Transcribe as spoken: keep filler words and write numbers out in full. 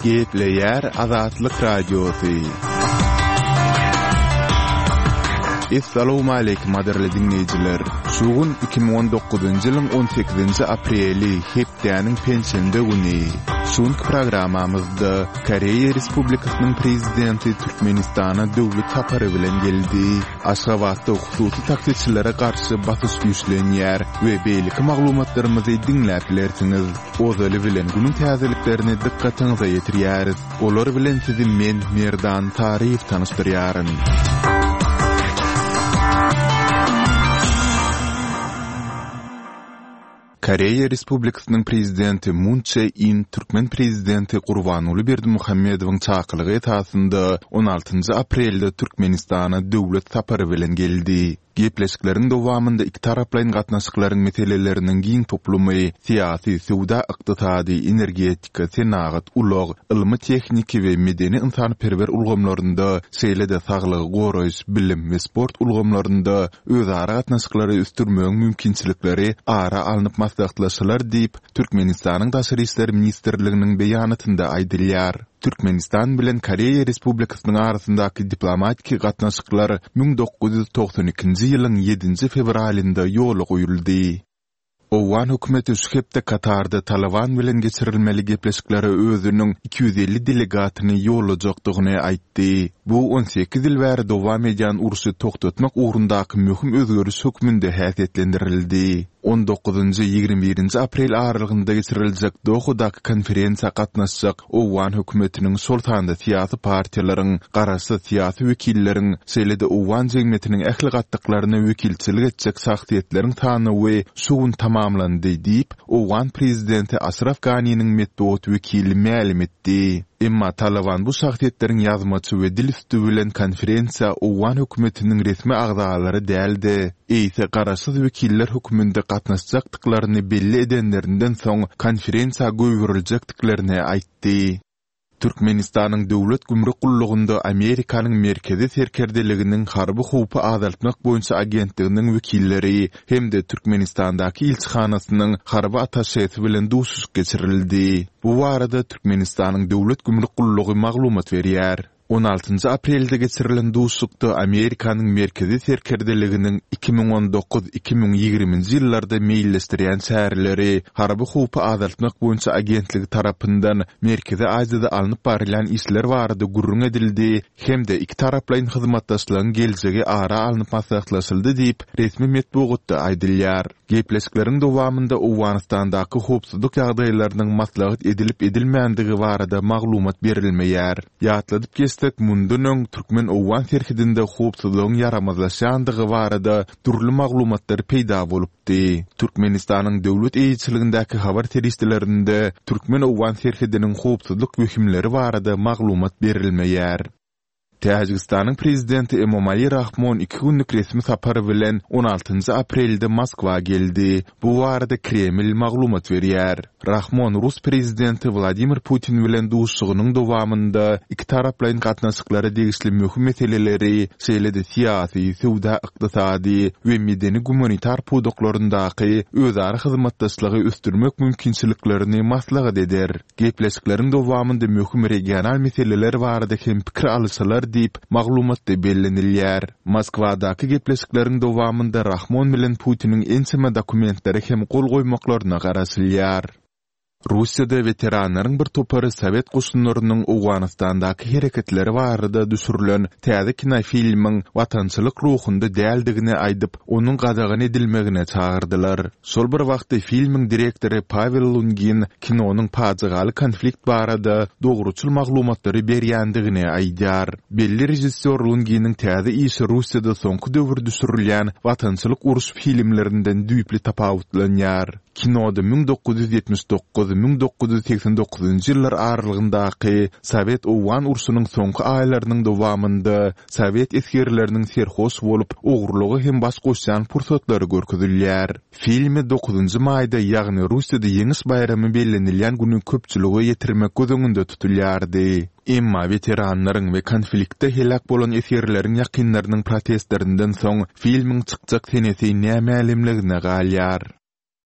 Gepleýär Azatlyk Radiosy. Essalawmaleýkim gadyrly diňleýjiler! Şu gün iki müň on dokuzynjy ýylyň on sekizinji apreli, hepdäniň penşenbe güni. Şu günki programmamyzda Koreýa Respublikasynyň Prezidenti Türkmenistana döwlet sapary bilen geldi. Aşgabatda hususy taksiçilere garşy basyş güýçlenýär we beýleki maglumatlarymyzy diňläp bilersiňiz. Ozaly bilen günüň täzeliklerini dykgatyňyza ýetirýäris. Olar bilen sizi men, Merdan Taryýew tanyşdyrýaryn. Koreýa Respublikasynyň Prezidenti Mun Çže In türkmen Prezidenti Gurbanguly Berdimuhamedowyň çakylygy esasynda on altynjy aprelde Türkmenistana döwlet sapary bilen geldi. Gepleşikleriň dowamynda ikitaraplaýyn gatnaşyklaryň meseleleriniň giň toplumy, syýasy, söwda-ykdysady, energetika, senagat, ulag, ylmy-tehniki we medeni-ynsanperwer ulgamlarynda, şeýle-de saglygy goraýyş, bilim we sport ulgamlarynda özara gatnaşyklary ösdürmegiň mümkinçilikleri ara alnyp maslahatlaşylar diýip, Türkmenistanyň Daşary işler ministrliginiň beýanatynda aýdylýar. Türkmenistan bilen Koreýa Respublikasynyň arasyndaky diplomatiki gatnaşyklar müň dokuz ýüz togsan ikinji ýylyň ýedinji fewralynda ýola goýuldy. Owgan hökümeti şu hepde Katarda Talyban bilen geçirilmeli gepleşiklere özüniň iki ýüz elli delegatyny ýollajakdygyny aýtdy. Bu on sekiz ýyl bäri dowam edýän urşy togtatmak ugrundaky möhüm özgeriş hökmünde häsiýetlendirildi. On dokuzynjy, ýigrimi birinji aprel aralygynda geçiriljek Dohadaky konferensiýa gatnaşjak owgan hökümetiniň, şol sanda syýasy partiýalaryň, garaşsyz syýasy wekilleriň, şeýle-de owgan jemgyýetiniň ähli gatlaklaryna wekilçilik etjek şahsyýetleriň sanawy şu gün tamamlandy diýip, owgan prezidenti Aşraf Ganiniň metbugat wekili mälim etdi. Emma Talyban bu şahsyýetleriň ýazmaça we dil üsti bilen konferensiýa owgan hökümetiniň resmi agzalary däl-de, eýse garaşsyz wekiller hökmünde gatnaşjakdyklaryny belli edenlerinden soň konferensiýa goýberiljekdiklerini aýtdy. Türkmenistanyň Döwlet gümrük gullugynda Amerikanyň Merkezi serkerdeliginiň harby howpy azaltmak boýunça agentliginiň wekilleri hem-de Türkmenistandaky ilçihanasynyň harby attaşesi bilen duşuşyk geçirildi. Bu barada Türkmenistanyň Döwlet gümrük gullugy maglumat berýär. On altynjy aprelde geçirilen duşuşykda Amerikanyň Merkezi serkerdeliginiň iki müň on dokuz, iki müň ýigriminji ýyllarda meýilleşdirýän çäreleri, harby howpy azaltmak boýunça agentligi tarapyndan Merkezi Aziýada alnyp barylýan işler barada gürrüň edildi hem-de ikitaraplaýyn hyzmatdaşlygyň geljegi ara alnyp maslahatlaşyldy diýip, resmi metbugatda aýdylýar. Gepleşikleriň dowamynda Owganystandaky howpsuzlyk ýagdaýlarynyň maslahat edilip-edilmändigi barada maglumat berilmeýär. Ýatladyp geçsek, mundan öň türkmen-owgan serhedinde howpsuzlygyň ýaramazlaşýandygy barada dürli maglumatlar peýda bolupdy. Türkmenistanyň döwlet eýeçiligindäki habar serişdelerinde türkmen-owgan serhediniň howpsuzlyk wehimleri barada maglumat berilmeýär. Täjigistanyň Prezidenti Emomali Rahmon iki günlük resmi sapar bilen on altynjy aprelde Moskwa geldi. Bu barada Kreml maglumat berýär. Rahmon rus Prezidenti Wladimir Putin bilen duşuşygynyň dowamynda ikitaraplaýyn gatnaşyklara degişli möhüm meseleleri, şeýle-de syýasy, söwda-ykdysady we medeni-gumanitar pudaklaryndaky özara hyzmatdaşlygy ösdürmek mümkinçiliklerini maslahat eder. Gepleşikleriň dowamynda möhüm regional meseleler barada hem pikir alyşylar diýip, maglumatda bellenilýär. Moskwadaky gepleşikleriň dowamynda Rahmon bilen Putiniň ençeme dokumentlere hem gol goýmaklaryna garaşylýar. Russiýada weteranlaryň bir topary sowet goşunlarynyň Owganystandaky hereketleri barada düşürilen täze kinofilmiň watançylyk ruhunda däldigini aýdyp, onuň gadagan edilmegine çagyrdylar. Şol bir wagtda filmiň direktory Pawel Lungin kinonyň pajygaly konflikt barada dogruçyl maglumatlary berýändigini aýdýar. Belli režissýor Lunginiň täze işi Russiýada soňky döwür düşürilýän watançylyk uruş filmlerinden düýpli tapawutlanýar. Kinoda müň dokuz ýüz ýetmiş dokuz, müň dokuz ýüz segsen dokuzynjy ýyllar aralygyndaky Sowet-owgan urşunyň soňky aýlarynyň dowamynda sowet esgerleriniň serhoş bolup, ogurlyga hem baş goşýan pursatlary görkezilýär. Filmi dokuzynjy maýda, ýagny Russiýada Ýeňiş baýramy bellenilýän güni köpçülige ýetirmek göz öňünde tutulýardy. Emma weteranlaryň we konfliktde heläk bolan esgerleriň ýakynlarynyň protestlerinden soň filmiň çykjak senesi nämälimligine galýar.